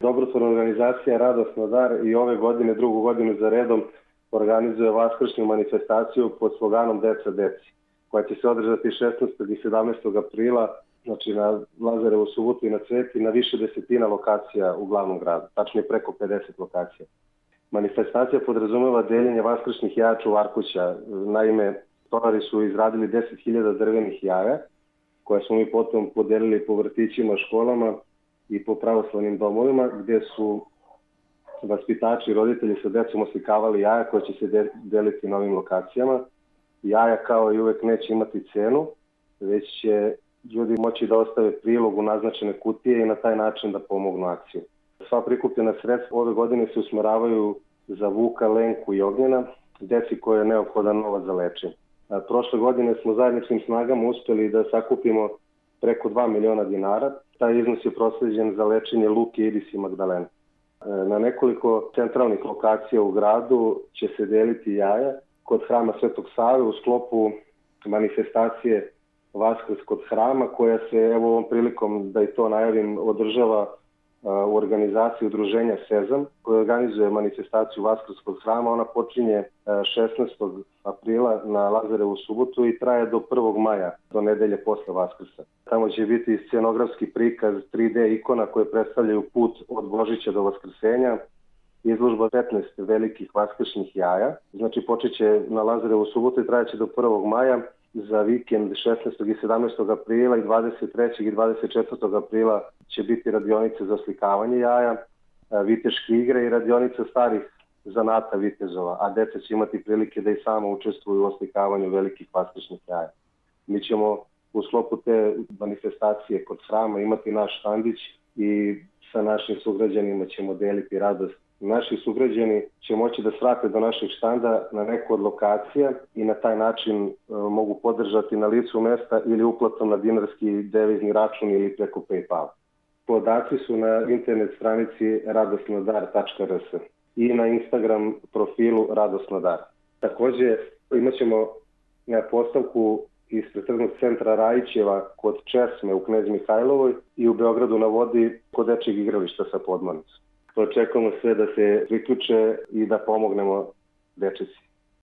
Dobrotvorna organizacija Radosna dar i ove godine, drugu godinu za redom, organizuje vaskršnju manifestaciju pod sloganom Deca deci, koja će se održati 16. i 17. aprila, znači na Lazarevu subotu i na Cveti, na više desetina lokacija u glavnom gradu, tačnije preko 50 lokacija. Manifestacija podrazumeva deljenje vaskršnjih jaja čuvarkuća. Naime, stolari su izradili 10.000 drvenih jaja, koje smo mi potom podelili po vrtićima, školama i po pravoslavnim domovima, gde su vaspitači i roditelji sa decom oslikavali jaja koje će se deliti na ovim lokacijama. Jaja kao i uvek neće imati cenu, već će ljudi moći da ostave prilog u naznačene kutije i na taj način da pomognu akciju. Sva prikupljena sredstva ove godine se usmeravaju za Vuka, Lenku i Ognjena, deci koje je neophodan novac za lečenje. Prošle godine smo zajedničkim snagama uspeli da sakupimo preko 2 miliona dinara. Taj iznos je prosleđen za lečenje Luke, Iris i Magdalene. Na nekoliko centralnih lokacija u gradu će se deliti jaja kod hrama Svetog Save u sklopu manifestacije Vaskrs kod hrama, koja se, evo ovom prilikom da i to najavim, održava u organizaciji udruženja Sezam, koja organizuje manifestaciju Vaskrs kod hrama. Ona počinje 16. aprila na Lazarevu subotu i traje do 1. maja, do nedelje posle Vaskrsa. Tamo će biti scenografski prikaz 3D ikona koje predstavljaju put od Božića do Vaskrsenja, izložba 15 velikih vaskršnjih jaja. Znači počet će na Lazarevu subotu i trajeće do 1. maja. Za vikend 16. i 17. aprila i 23. i 24. aprila će biti radionice za oslikavanje jaja, viteške igre i radionice starih zanata vitezova, a deca će imati prilike da i samo učestvuju u oslikavanju velikih vaskršnjih jaja. Mi ćemo u sklopu te manifestacije kod hrama imati naš štandić i sa našim sugrađanima ćemo deliti radost. Naši sugrađani će moći da svrate do našeg štanda na neku od lokacija i na taj način mogu podržati na licu mesta ili uplatom na dinarski devizni račun ili preko PayPal. Podaci su na internet stranici radosnodar.rs i na Instagram profilu Radosnodar. Takođe imat ćemo postavku ispred tržnog centra Rajićeva kod Česme u Knez Mihajlovoj i u Beogradu na vodi kod dečjeg igrališta sa podmornicom. Očekujemo sve da se priključe i da pomognemo dečici.